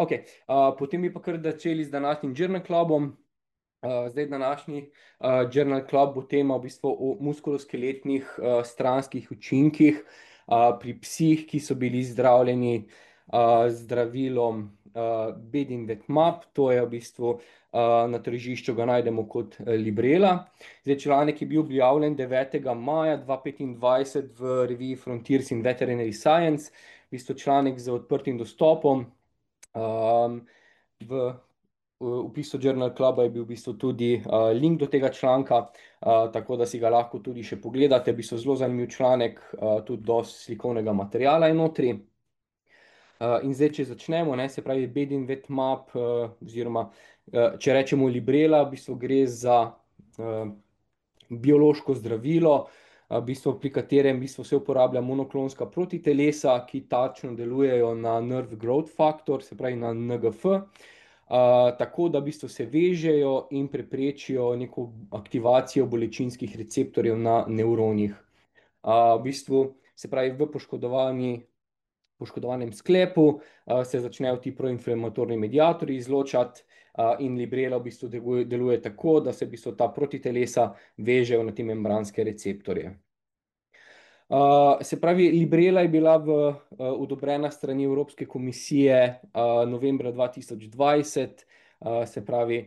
Ok, potem bi pa kar začeli z današnjim Journal Clubom. Zdaj današnji Journal Club bo tema v bistvu o muskuloskeletnih stranskih učinkih pri psih, ki so bili zdravljeni z zdravilom Bedinvet-MAP. To je v bistvu na tržišču ga najdemo kot Librela. Zdaj, članek je bil objavljen 9. maja 2025 v reviji Frontiers in Veterinary Science. V bistvu članek z odprtim dostopom. V opisu Journal Cluba je bil v bistvu tudi link do tega članka, tako da si ga lahko tudi še pogledate. V bistvu zelo zanimiv članek, tudi dosti slikovnega materiala je notri. In zdaj, če začnemo, ne, se pravi Bedinvet-MAP, oziroma če rečemo Librela, v bistvu gre za biološko zdravilo, v bistvu, pri katerem v bistvu se uporablja monoklonska protitelesa, ki tačno delujejo na nerve growth factor, se pravi na NGF, tako da v bistvu se vežejo in preprečijo neko aktivacijo bolečinskih receptorjev na nevronih. V bistvu, se pravi, v poškodovanem sklepu se začnejo ti proinflamatorni mediatorji izločati, in Librela v bistvu deluje tako, da se v bistvu ta protitelesa vežejo na te membranske receptorje. Se pravi, Librela je bila odobrena strani Evropske komisije novembra 2020, se pravi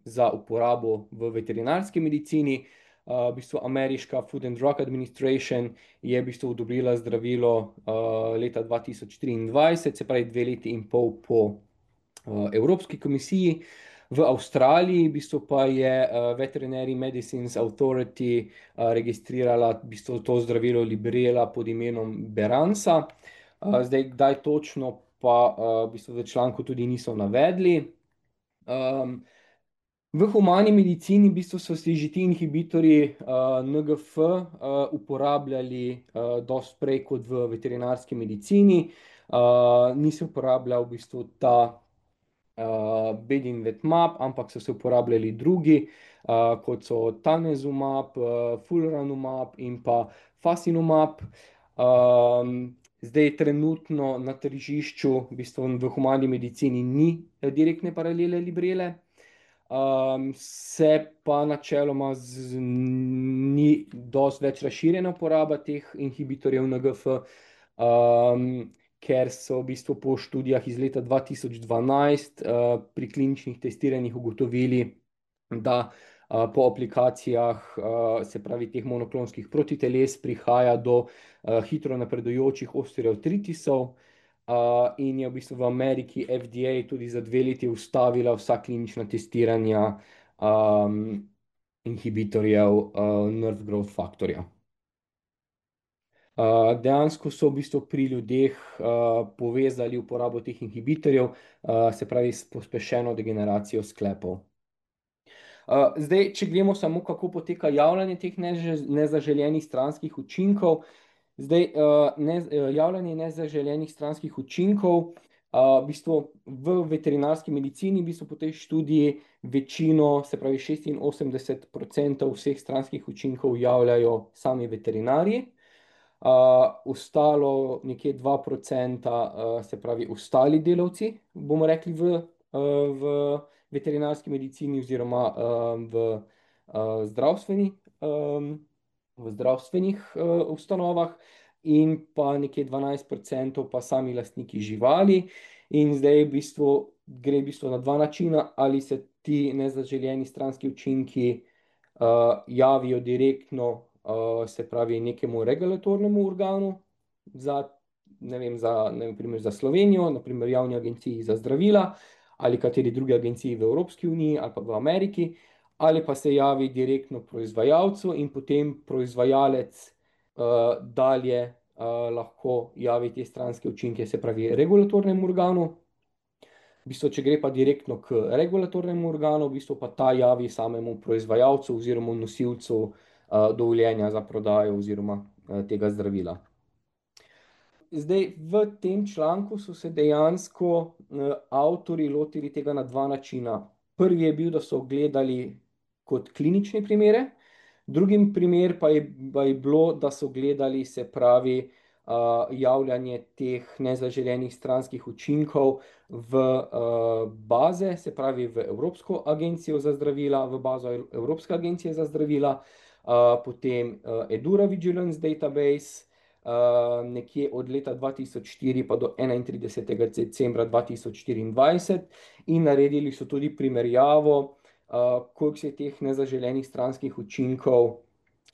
za uporabo v veterinarski medicini. V bistvu ameriška Food and Drug Administration je v bistvu odobrila zdravilo leta 2023, se pravi 2 leti in pol po Evropski komisiji. V Avstraliji v bistvu pa je Veterinary Medicines Authority registrirala v bistvu to zdravilo Librela pod imenom Beransa. Zdaj, kdaj točno, pa v bistvu v članku tudi niso navedli. V humani medicini v bistvu so se že ti inhibitorji NGF uporabljali dosti prej kot v veterinarski medicini. Ni se uporabljal v bistvu ta Bedinvet-MAP, ampak so se uporabljali drugi, kot so Tanezumab, Fulranumab in pa Fasinumab. Zdaj trenutno na tržišču v bistvu v humani medicini ni direktne paralele Librele. Se pa načeloma ni dosti več razširjena uporaba teh inhibitorjev NGF, ker so v bistvu po študijah iz leta 2012 pri kliničnih testiranjih ugotovili, da po aplikacijah, se pravi teh monoklonskih protiteles, prihaja do hitro napredujočih osteoartritisov, in je v bistvu v Ameriki FDA tudi za 2 leti ustavila vsa klinična testiranja inhibitorjev nerve growth factorja. Dejansko so v bistvu pri ljudeh povezali uporabo teh inhibitorjev, se pravi s pospešeno degeneracijo sklepov. Zdaj, če gremo samo, kako poteka javljanje teh nezaželenih stranskih učinkov. Zdaj, javljanje nezaželenih stranskih učinkov, v bistvu v veterinarski medicini, v bistvu po tej študiji večino, se pravi 86% vseh stranskih učinkov javljajo sami veterinarji. Ostalo nekje 2%, se pravi ostali delavci, bomo rekli v veterinarski medicini oziroma v zdravstvenih ustanovah, in pa nekje 12% pa sami lastniki živali. In zdaj gre v bistvu na dva načina: ali se ti nezaželeni stranski učinki javijo direktno, se pravi nekemu regulatornemu organu, na primer za Slovenijo, na primer Javni agenciji za zdravila, ali kateri drugi agenciji v Evropski uniji ali pa v Ameriki, ali pa se javi direktno proizvajalcu in potem proizvajalec dalje lahko javi te stranske učinke, se pravi regulatornemu organu. V bistvu, če gre pa direktno k regulatornemu organu, v bistvu pa ta javi samemu proizvajalcu oziroma nosilcu dovoljenja za prodajo oziroma tega zdravila. Zdaj, v tem članku so se dejansko avtorji lotili tega na dva načina. Prvi je bil, da so gledali kot klinične primere, drugi primer pa je bilo, da so gledali, se pravi, javljanje teh nezaželenih stranskih učinkov v baze, se pravi v Evropsko agencijo za zdravila, v bazo Evropske agencije za zdravila, potem Edura Vigilance Database, nekje od leta 2004 pa do 31. decembra 2024 in naredili so tudi primerjavo, koliko se je teh nezaželenih stranskih učinkov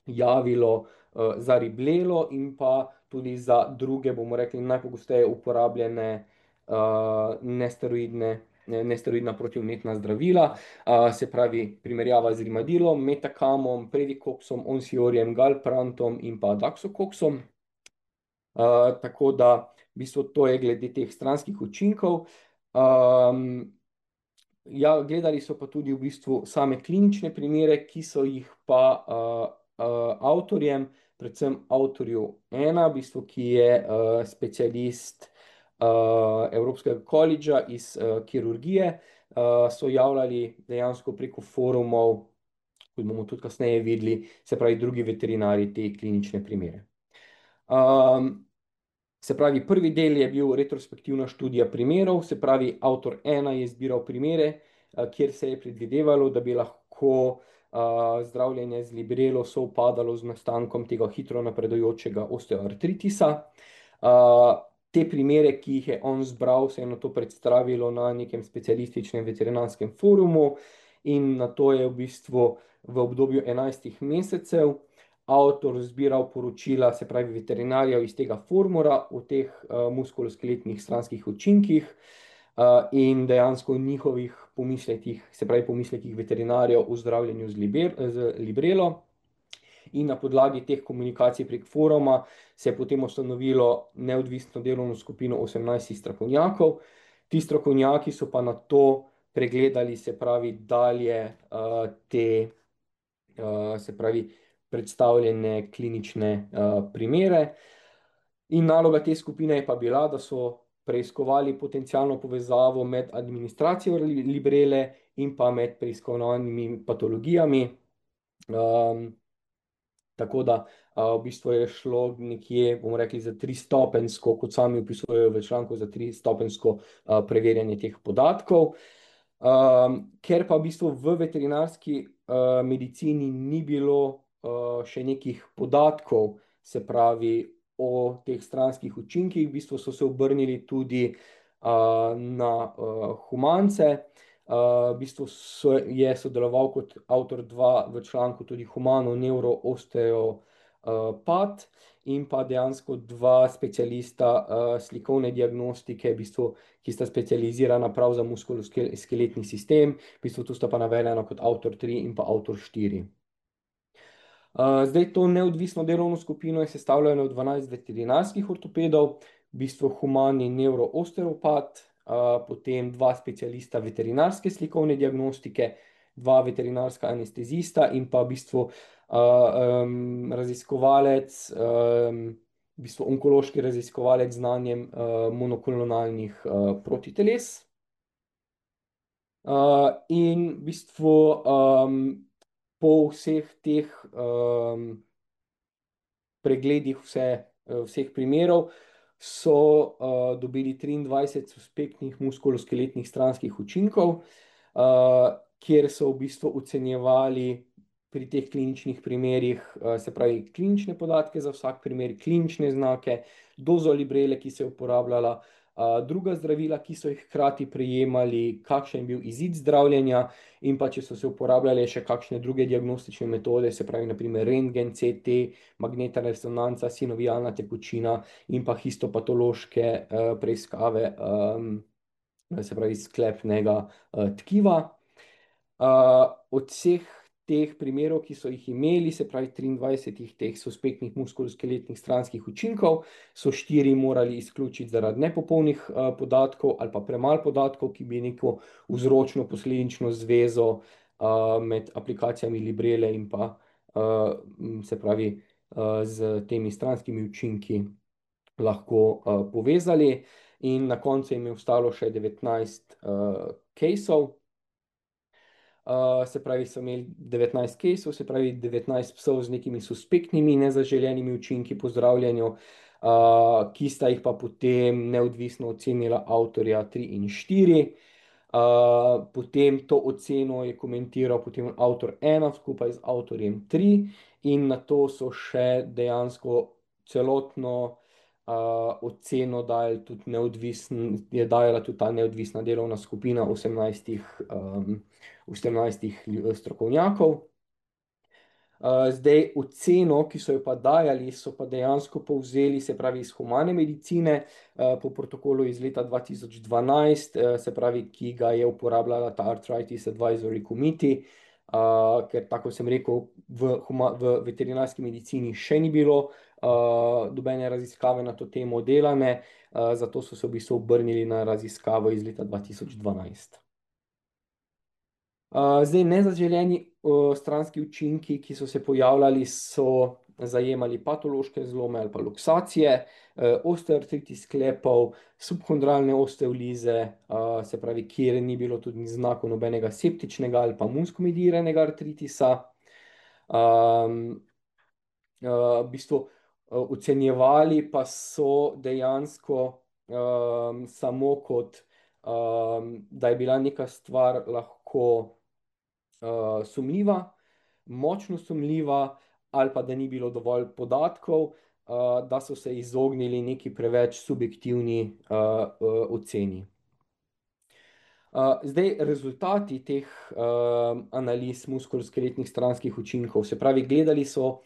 javilo za riblelo in pa tudi za druge, bomo rekli, najpogosteje uporabljene nesteroidna protivnetna zdravila, se pravi primerjava z rimadilom, metakamom, predikoksom, onsiorjem, galprantom in pa daksokoksom. Tako da v bistvu to je glede teh stranskih učinkov. Ja, gledali so pa tudi v bistvu same klinične primere, ki so jih pa avtorjem, predvsem avtorju ena, v bistvu, ki je specialist Evropskega koledža iz kirurgije, so javljali dejansko preko forumov, kot bomo tudi kasneje videli, se pravi drugi veterinari te klinične primere. Se pravi, prvi del je bil retrospektivna študija primerov, se pravi, avtor ena je zbiral primere, kjer se je predvidevalo, da bi lahko zdravljenje z librelo sovpadalo z nastankom tega hitro napredujočega osteoartritisa. Te primere, ki jih je on zbral, se je na to predstavilo na nekem specialističnem veterinarskem forumu in na to je v bistvu v obdobju 11 mesecev avtor zbiral poročila, se pravi veterinarjev iz tega formula o teh muskuloskeletnih stranskih učinkih in dejansko njihovih pomislekih, se pravi pomislekih veterinarjev o zdravljenju z librelo. In na podlagi teh komunikacij prek foruma se je potem ustanovilo neodvisno delovno skupino 18 strokovnjakov. Ti strokovnjaki so pa na to pregledali, se pravi, dalje te, se pravi, predstavljene klinične primere. In naloga te skupine je pa bila, da so preiskovali potencialno povezavo med administracijo librele in pa med preiskovanimi patologijami. Tako da v bistvu je šlo nekje, bomo rekli, za tristopenjsko, kot sami opisujejo v članku, za tristopenjsko preverjanje teh podatkov. Ker pa v bistvu v veterinarski medicini ni bilo še nekih podatkov, se pravi o teh stranskih učinkih, v bistvu so se obrnili tudi na humance. V bistvu je sodeloval kot avtor 2 v članku tudi humano-neuro-osteopat in pa dejansko 2 specialista slikovne diagnostike, v bistvu, ki sta specializirana prav za muskuloskeletni sistem, v bistvu tu sta pa navedena kot avtor 3 in pa avtor 4. Zdaj to neodvisno delovno skupino je sestavljeno od 12 veterinarskih ortopedov, v bistvu humani neuro-osteopat, potem 2 specialista veterinarske slikovne diagnostike, 2 veterinarska anestezista in pa v bistvu raziskovalec, v bistvu onkološki raziskovalec z znanjem monoklonalnih protiteles. In v bistvu po vseh teh pregledih vseh primerov so dobili 23 suspektnih muskuloskeletnih stranskih učinkov, kjer so v bistvu ocenjevali pri teh kliničnih primerih, se pravi klinične podatke za vsak primer, klinične znake, dozo librele, ki se je uporabljala, druga zdravila, ki so jih hkrati prejemali, kakšen je bil izid zdravljenja in pa če so se uporabljale še kakšne druge diagnostične metode, se pravi naprimer rentgen, CT, magnetna resonanca, sinovialna tekočina in pa histopatološke preiskave, se pravi sklepnega tkiva. Od vseh teh primerov, ki so jih imeli, se pravi 23 teh suspektnih muskuloskeletnih stranskih učinkov, so 4 morali izključiti zaradi nepopolnih podatkov ali pa premalo podatkov, ki bi neko vzročno-posledično zvezo med aplikacijami librele in pa se pravi z temi stranskimi učinki lahko povezali. In na koncu jim je ostalo še 19 caseov. Se pravi, so imeli 19 caseov, se pravi 19 psov z nekimi suspektnimi nezaželenimi učinki po zdravljenju. ki sta jih pa potem neodvisno ocenila avtorja 3 in 4. Potem to oceno je komentiral potem avtor 1 skupaj z avtorjem 3 in na to so še dejansko celotno oceno je dajala tudi ta neodvisna delovna skupina 18 strokovnjakov. Zdaj, oceno, ki so jo pa dajali, so pa dejansko povzeli, se pravi, iz humane medicine, po protokolu iz leta 2012, se pravi, ki ga je uporabljala ta Arthritis Advisory Committee, ker, tako sem rekel, v veterinarski medicini še ni bilo nobene raziskave na to temo delane, zato so se v bistvu obrnili na raziskavo iz leta 2012. Zdaj, nezaželeni stranski učinki, ki so se pojavljali, so zajemali patološke zlome ali pa luksacije, osteoartritis sklepov, subhondralne osteolize, se pravi, kjer ni bilo tudi znakov nobenega septičnega ali pa muskulidiranega artritisa. V bistvu ocenjevali pa so dejansko samo kot, da je bila neka stvar lahko sumljiva, močno sumljiva, ali pa da ni bilo dovolj podatkov, da so se izognili neki preveč subjektivni oceni. Zdaj, rezultati teh analiz muskuloskeletnih stranskih učinkov, se pravi, gledali so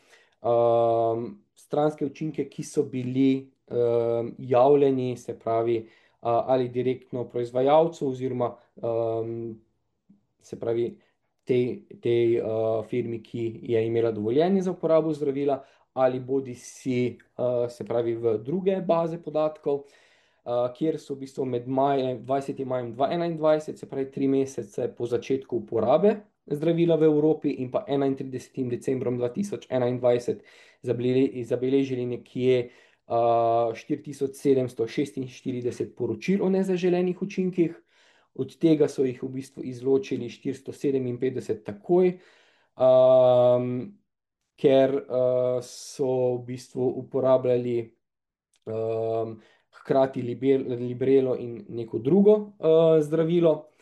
stranske učinke, ki so bili javljeni, se pravi, ali direktno proizvajalcu oziroma se pravi, tej firmi, ki je imela dovoljenje za uporabo zdravila, ali bodi si, se pravi, v druge baze podatkov, kjer so v bistvu med 20. majem 2021, se pravi 3 mesece po začetku uporabe zdravila v Evropi, in pa 31. decembrom 2021 zabeležili nekje 4746 poročil o nezaželenih učinkih. Od tega so jih v bistvu izločili 457 takoj, ker so v bistvu uporabljali hkrati Librelo in neko drugo zdravilo.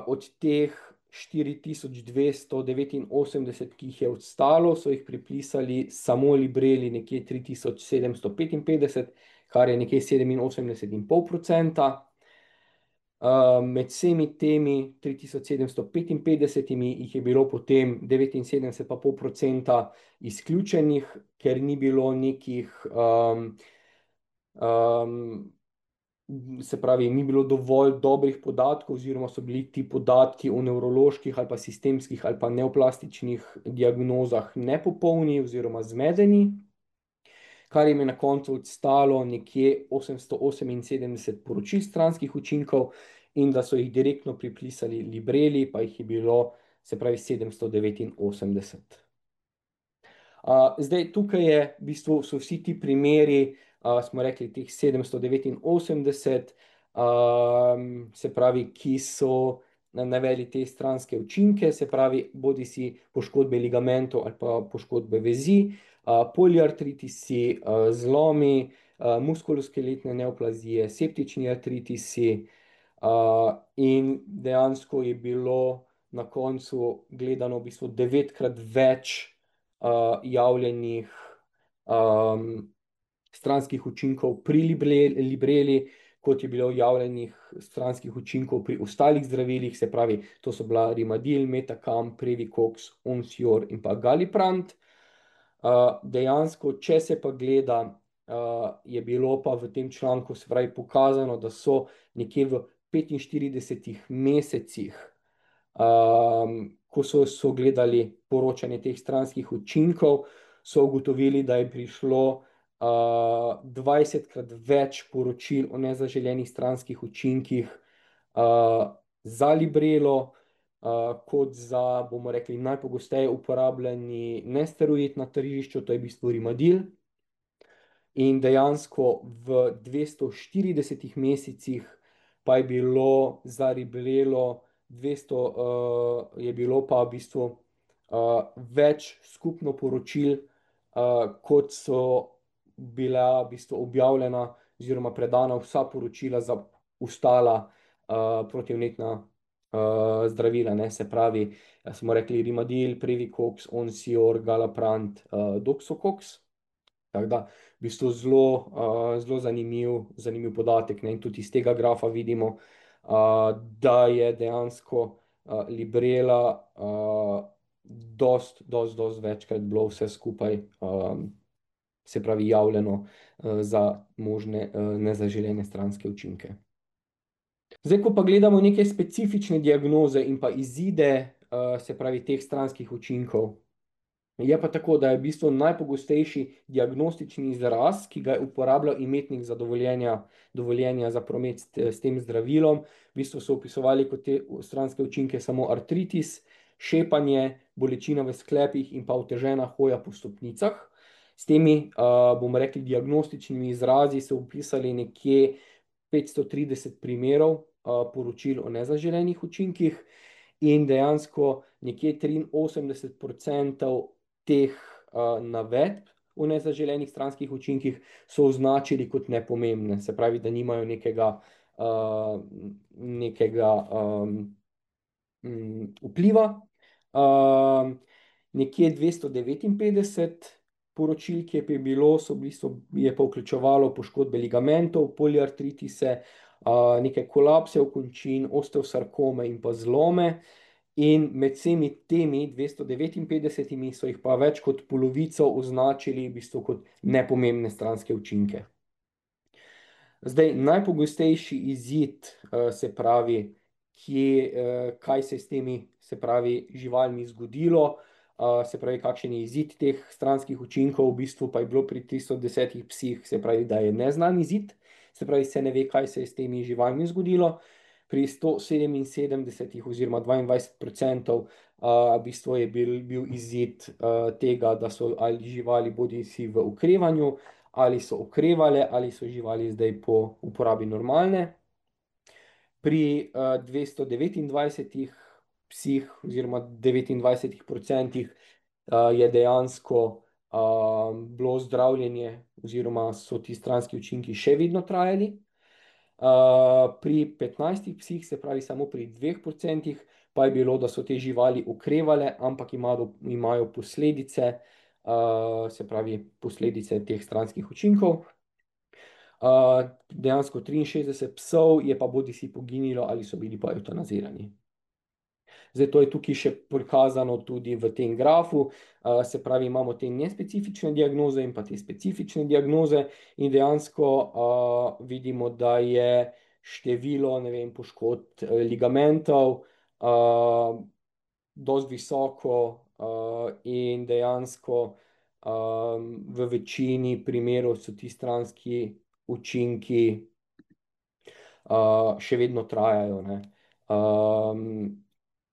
Od teh 4289, ki jih je ostalo, so jih pripisali samo Libreli nekje 3755, kar je nekje 87,5%. Med vsemi temi 3755 jih je bilo potem 79,5% izključenih, ker ni bilo nekih, se pravi, ni bilo dovolj dobrih podatkov, oziroma so bili ti podatki o nevroloških ali pa sistemskih ali pa neoplastičnih diagnozah nepopolni oziroma zmedeni, kar jim je na koncu odstalo nekje 878 poročil stranskih učinkov, in da so jih direktno pripisali Libreli, pa jih je bilo, se pravi, 789. Zdaj, tukaj je v bistvu so vsi ti primeri, smo rekli, teh 789, se pravi, ki so navedli te stranske učinke, se pravi, bodi si poškodbe ligamentov ali pa poškodbe vezi, poliartritisi, zlomi, muskuloskeletne neoplazije, septični artritisi, in dejansko je bilo na koncu gledano v bistvu 9-krat več javljenih stranskih učinkov pri Libreli, kot je bilo javljenih stranskih učinkov pri ostalih zdravilih, se pravi, to so bila Rimadil, Metacam, Previkox, Onsior in pa Galliprant. Dejansko, če se pa gleda, je bilo pa v tem članku, se pravi, pokazano, da so nekje v 45 mesecih, ko so gledali poročanje teh stranskih učinkov, so ugotovili, da je prišlo 20-krat več poročil o nezaželenih stranskih učinkih za Librelo, kot za, bomo rekli, najpogosteje uporabljeni nesteroid na tržišču, to je v bistvu Rimadil. In dejansko v 240 mesecih pa je bilo za Librelo 200, je bilo pa v bistvu več skupno poročil, kot so bila v bistvu objavljena oziroma predana vsa poročila za ostala protivnetna zdravila, ne, se pravi, smo rekli Rimadil, Previkox, Onsior, Galaprant, Doxocox. Tako da, v bistvu zelo zanimiv podatek, ne? In tudi iz tega grafa vidimo, da je dejansko Librela dost večkrat bilo vse skupaj, se pravi, javljeno za možne nezaželene stranske učinke. Zdaj, ko pa gledamo neke specifične diagnoze in pa izide, se pravi, teh stranskih učinkov, je pa tako, da je v bistvu najpogostejši diagnostični izraz, ki ga je uporabljal imetnik za dovoljenja za promet s tem zdravilom. V bistvu so opisovali kot te stranske učinke samo artritis, šepanje, bolečina v sklepih in pa otežena hoja po stopnicah. S temi, bomo rekli, diagnostičnimi izrazi so opisali nekje 530 primerov poročil o nezaželenih učinkih in dejansko nekje 83% teh navedb o nezaželenih stranskih učinkih so označili kot nepomembne, se pravi, da nimajo nekega vpliva. Nekje 259 poročil, ki je bilo, je pa vključevalo poškodbe ligamentov, poliartritise, neke kolapse končin, osteosarkome in pa zlome. In med vsemi temi 259 so jih pa več kot polovico označili v bistvu kot nepomembne stranske učinke. Zdaj, najpogostejši izid, se pravi, kaj se je s temi, se pravi, živalmi zgodilo, se pravi, kakšen je izid teh stranskih učinkov, v bistvu pa je bilo pri 310 psih, se pravi, da je neznan izid, se pravi, se ne ve, kaj se je s temi živalmi zgodilo. Pri 177 oziroma 22% v bistvu je bil izid tega, da so ali živali bodisi v okrevanju, ali so okrevale, ali so živali zdaj po uporabi normalne. Pri 229 psih oziroma 29% je dejansko bilo zdravljenje oziroma so ti stranski učinki še vedno trajali. Pri 15 psih, se pravi samo pri 2%, pa je bilo, da so te živali okrevale, ampak imajo posledice, se pravi posledice teh stranskih učinkov. Dejansko 63 psov je pa bodisi poginilo ali so bili pa evtanazirani. Zdaj, to je tukaj še prikazano tudi v tem grafu, se pravi, imamo te nespecifične diagnoze in pa te specifične diagnoze in dejansko vidimo, da je število, ne vem, poškodb ligamentov dosti visoko in dejansko v večini primerov so ti stranski učinki še vedno trajajo, ne.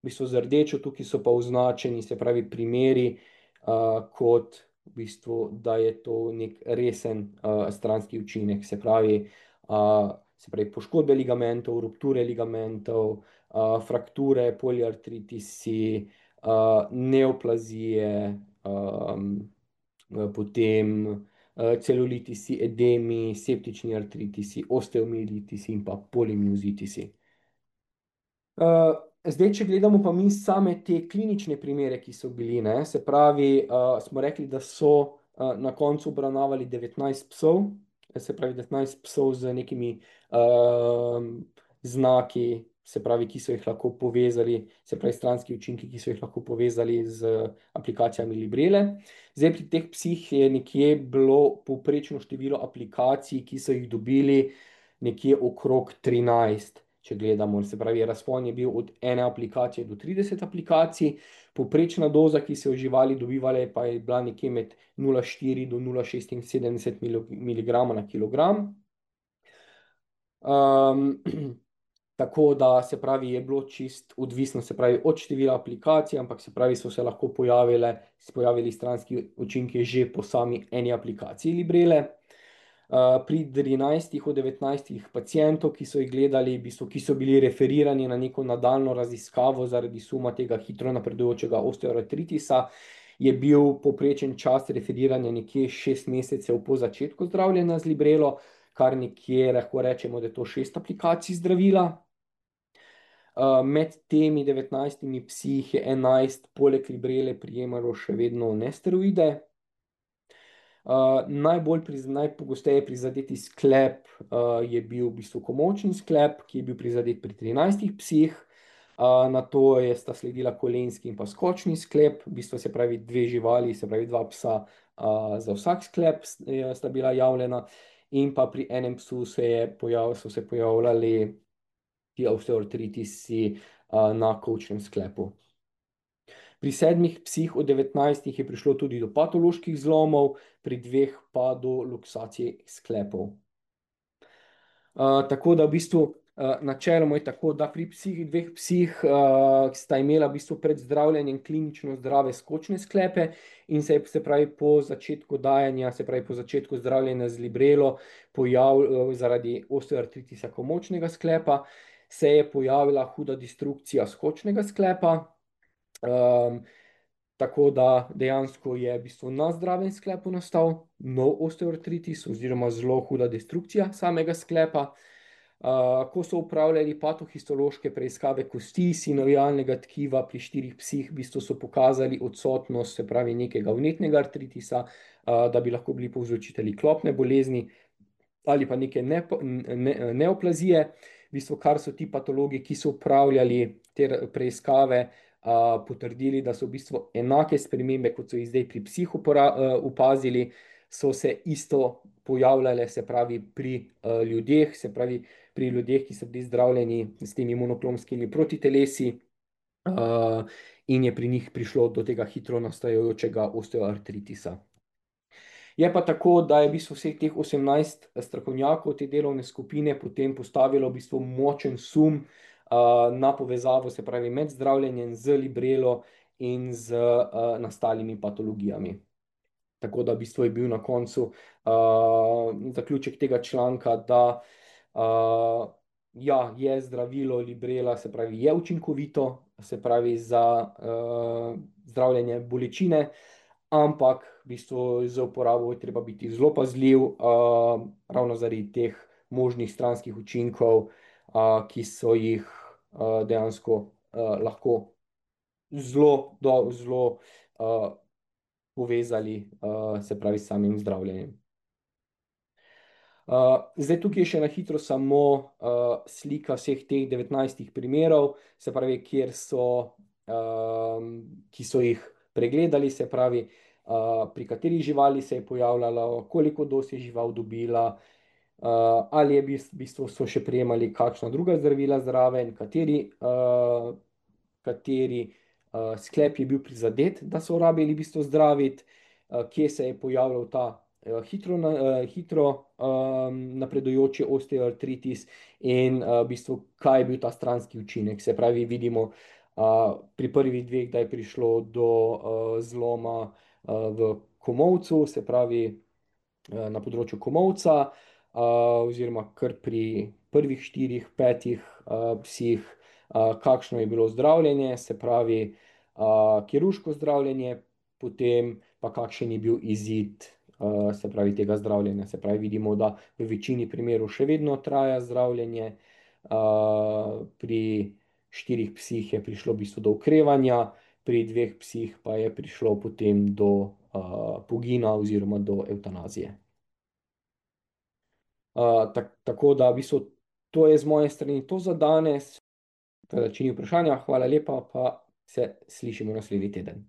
V bistvu z rdečo tukaj so pa označeni, se pravi, primeri kot v bistvu, da je to nek resen stranski učinek, se pravi, poškodbe ligamentov, rupture ligamentov, frakture, poliartritisi, neoplazije, potem celulitisi, edemi, septični artritisi, osteomielitisi in pa polimiozitisi. Zdaj, če gledamo pa mi same te klinične primere, ki so bili, ne, se pravi, smo rekli, da so na koncu obravnavali 19 psov, se pravi 19 psov z nekimi znaki, se pravi, ki so jih lahko povezali, se pravi, stranski učinki, ki so jih lahko povezali z aplikacijami Librele. Zdaj, pri teh psih je nekje bilo povprečno število aplikacij, ki so jih dobili, nekje okrog 13, če gledamo, se pravi, razpon je bil od 1 aplikacije do 30 aplikacij, povprečna doza, ki so jo živali dobivale, pa je bila nekje med 0,4 do 0,76 mg na kilogram. Tako da, se pravi, je bilo čist odvisno, se pravi, od števila aplikacij, ampak se pravi, so se lahko pojavili stranski učinki že po sami eni aplikaciji Librele. Pri 13 od 19 pacientov, ki so jih gledali, ki so bili referirani na neko nadaljnjo raziskavo zaradi suma tega hitro napredujočega osteoartritisa, je bil povprečen čas referiranja nekje 6 mesecev po začetku zdravljenja z librelo, kar nekje lahko rečemo, da je to 6 aplikacij zdravila. Med temi 19 psi jih je 11 poleg librele prijemalo še vedno nesteroide. Najpogosteje prizadeti sklep je bil v bistvu komočni sklep, ki je bil prizadet pri 13 psih. Na to sta sledila kolenski in pa skočni sklep, v bistvu se pravi dve živali, se pravi dva psa za vsak sklep sta bila javljena, in pa pri enem psu so se pojavljali ti osteoartritisi na kolčnem sklepu. Pri 7 psih od 19 je prišlo tudi do patoloških zlomov, pri 2 pa do luksacije sklepov. Tako da v bistvu načeloma je tako, da pri 2 psih sta imela v bistvu pred zdravljenjem klinično zdrave skočne sklepe in se pravi po začetku dajanja, se pravi po začetku zdravljenja z librelo, zaradi osteoartritisa komočnega sklepa, se je pojavila huda destrukcija skočnega sklepa. Tako da dejansko je v bistvu na zdravem sklepu nastal nov osteoartritis oziroma zelo huda destrukcija samega sklepa. Ko so upravljali patohistološke preiskave kosti sinovialnega tkiva pri 4 psih, v bistvu so pokazali odsotnost, se pravi nekega vnetnega artritisa, da bi lahko bili povzročitelji klopne bolezni ali pa neke neoplazije. V bistvu, kar so ti patologi, ki so upravljali te preiskave, potrdili, da so v bistvu enake spremembe, kot so jih zdaj pri psih opazili, so se isto pojavljale, se pravi pri ljudeh, se pravi pri ljudeh, ki so bili zdravljeni s temi monoklonskimi protitelesi, in je pri njih prišlo do tega hitro nastajajočega osteoartritisa. Je pa tako, da je v bistvu vseh teh 18 strokovnjakov te delovne skupine potem postavilo v bistvu močen sum na povezavo, se pravi med zdravljenjem z librelo in z nastalimi patologijami. Tako da v bistvu je bil na koncu zaključek tega članka, da ja, je zdravilo librela, se pravi je učinkovito, se pravi za zdravljenje bolečine, ampak v bistvu z uporabo je treba biti zelo pazljiv, ravno zaradi teh možnih stranskih učinkov, ki so jih dejansko lahko zelo povezali, se pravi s samim zdravljenjem. Zdaj tukaj je še na hitro samo slika vseh teh 19 primerov, se pravi, ki so jih pregledali, se pravi, pri kateri živali se je pojavljalo, koliko doz je žival dobila, ali je v bistvu so še prejemali kakšna druga zdravila zraven, kateri sklep je bil prizadet, da so rabili v bistvu zdraviti, kje se je pojavljal ta hitro napredujoči osteoartritis in v bistvu, kaj je bil ta stranski učinek. Se pravi, vidimo pri prvih 2, da je prišlo do zloma v komolcu, se pravi na področju komolca, oziroma kar pri prvih 4, 5 psih, kakšno je bilo zdravljenje, se pravi kirurško zdravljenje, potem pa kakšen je bil izid se pravi tega zdravljenja. Se pravi, vidimo, da v večini primerov še vedno traja zdravljenje, pri 4 psih je prišlo v bistvu do okrevanja, pri 2 psih pa je prišlo potem do pogina oziroma do evtanazije. Tako da v bistvu to je z moje strani to za danes. Če ni vprašanja, hvala lepa, pa se slišimo naslednji teden.